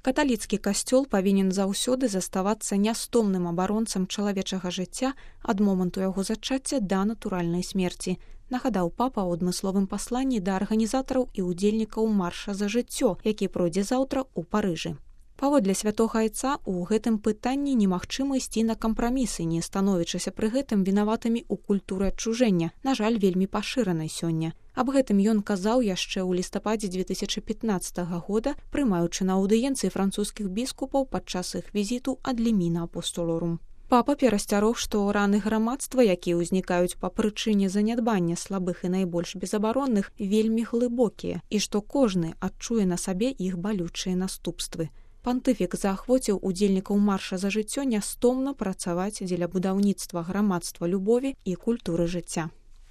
Каталіцкі касцёл павінен заўсёды заставацца нястомным абаронцам чалавечага жыцця ад моманту яго зачацця да натуральнай смерці, нагадаў папа ў адмысловым пасланні да арганізатараў і ўдзельнікаў марша за жыццё, які пройдзе заўтра ў Парыжы. Паводле святога айца, у гэтым пытанні немагчыма ісці на кампрамісы, не становячыся пры гэтым вінаватымі ў культуры адчужэння, на жаль, вельмі пашыранай сёння. Аб гэтым ён казаў яшчэ ў лістападзе 2015 года, прымаючы на аўдыенцыі французскіх біскупаў падчас іх візіту ад Ліміна апостолорум. Папа перасцярог, што раны грамадства, якія ўзнікаюць па прычыне занядбання слабых і найбольш безабаронных, вельмі глыбокія, і што кожны адчуе на сабе іх балючыя наступствы. Пантыфік заахвоціў удзельнікаў марша за жыццё нястомна працаваць дзеля будаўніцтва грамадства любові і культуры жыцця.